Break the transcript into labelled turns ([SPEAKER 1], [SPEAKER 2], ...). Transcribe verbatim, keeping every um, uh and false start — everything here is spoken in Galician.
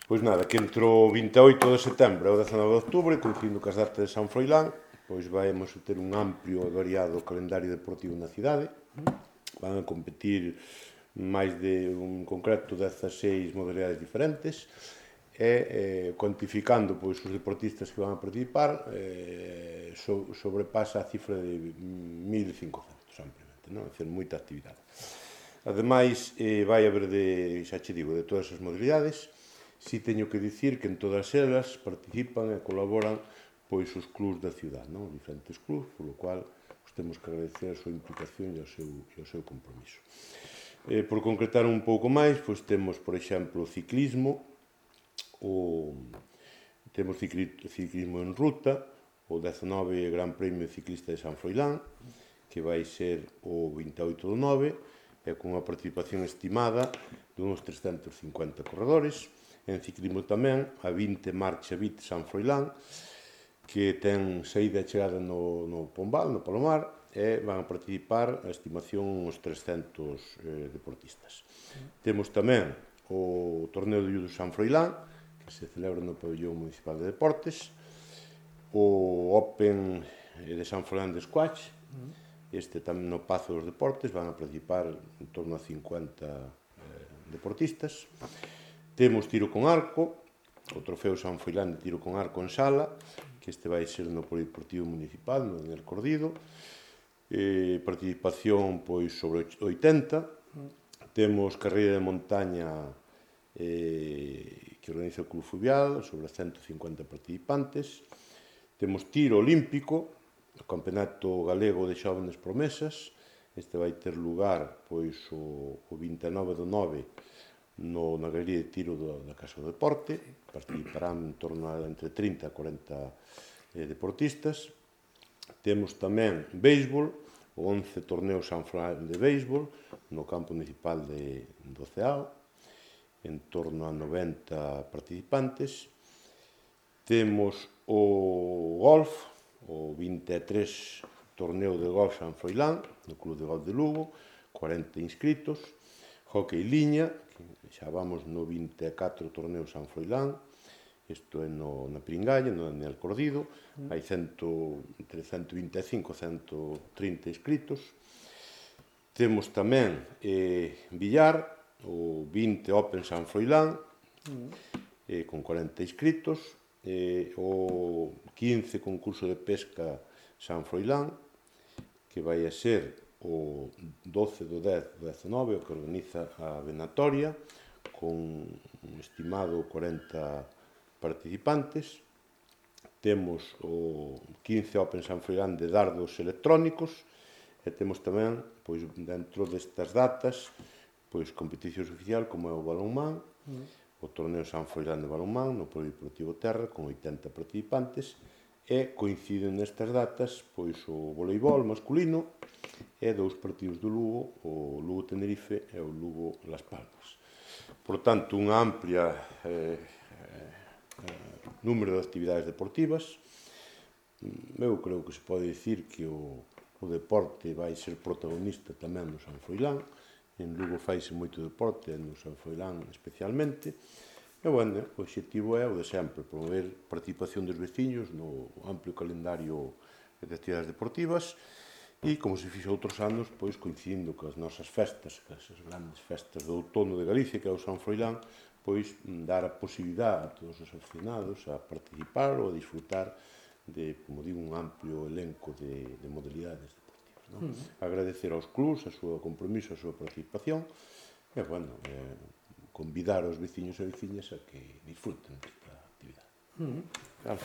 [SPEAKER 1] Pois nada, que entre o vinte e oito de setembro e o dezanove de outubro, coincidindo cas datas de San Froilán, pois vamos a ter un amplio e variado calendario deportivo na cidade. Van a competir máis de, un concreto, dezaseis modalidades diferentes, e eh, cuantificando pois, os deportistas que van a participar, eh, so, sobrepasa a cifra de mil cincocentos, ampliamente, non? É dicir, moita actividade. Ademais, eh, vai haber de, xa che digo, de todas as modalidades. Si teño que dicir que en todas elas participan e colaboran pois os clubs da cidade, non? Diferentes clubs, polo cual os temos que agradecer a súa implicación e o seu, e o seu compromiso. Eh, por concretar un pouco máis, pois temos, por exemplo, o ciclismo, o, temos cicli, ciclismo en ruta, o dezanove Gran Premio Ciclista de San Froilán, que vai ser o vinte e oito do nove, e con unha participación estimada de uns trescentos cincuenta corredores. En ciclismo tamén, a vinte Marcha Vit San Froilán, que ten saída e chegada no, no Pombal, no Palomar, e van a participar, a estimación, uns trescentos eh, deportistas. Mm. Temos tamén o torneo de judo San Froilán, que se celebra no Pabellón Municipal de Deportes, o Open de San Froilán de Squash, mm. este tamén no Pazo dos Deportes, van a participar en torno a cincuenta eh, deportistas. Temos tiro con arco, o trofeo San Froilán de tiro con arco en sala, que este vai ser no Polideportivo Municipal, no Daniel Cordido. Eh, participación pois sobre oitenta. Temos carreira de montaña eh, que organiza o Club Fluvial, sobre cento cincuenta participantes. Temos tiro olímpico, o Campeonato Galego de Xóvenes Promesas. Este vai ter lugar pois o, o vinte e nove do nove no, na galería de tiro do, da Casa do Deporte. Participarán en torno a entre trinta e corenta eh, deportistas. Temos tamén béisbol, o once torneo San Froilán de béisbol no campo municipal de, do Ceao, en torno a noventa participantes. Temos o golf, o vinte e tres torneo de golf San Froilán, no Club de Golf de Lugo, cuarenta inscritos. Hockey liña, que xa vamos no vinte e catro torneo San Froilán, isto é no, na Pringalla, no Daniel Cordido, mm. hai cento, entre cento vinte e cinco e cento trinta inscritos. Temos tamén eh, billar, o vinte Open San Froilán, mm. eh, con cuarenta inscritos, eh, o quince concurso de pesca San Froilán, que vai a ser o doce do dez do dezanove, o que organiza a Venatoria, con un estimado corenta participantes. Temos o quince Open San Froilán de dardos electrónicos, e temos tamén, pois, dentro destas datas, pois, competicións oficial, como é o balonmán, mm. o torneo San Froilán de balonmán, no Polideportivo Terra, con oitenta participantes, e coinciden nestas datas pois o voleibol masculino e dous partidos do Lugo, o Lugo Tenerife e o Lugo Las Palmas. Por tanto, unha amplia eh, eh, número de actividades deportivas. Eu creo que se pode dicir que o, o deporte vai ser protagonista tamén no San Froilán. En Lugo faise moito deporte, no San Froilán especialmente. E, bueno, o objetivo é o de sempre, promover participación dos veciños no amplio calendario de actividades deportivas e, como se fixo outros anos, pois, coincidindo coas nosas festas, coas grandes festas do outono de Galicia, que é o San Froilán, pois, dar a posibilidade a todos os aficionados a participar ou a disfrutar de, como digo, un amplio elenco de, de modalidades deportivas, non? Mm. Agradecer aos clubs a súa compromiso, a súa participación, e, bueno, eh, convidar aos veciños e veciñas a que disfruten desta actividade. Mm. Claro.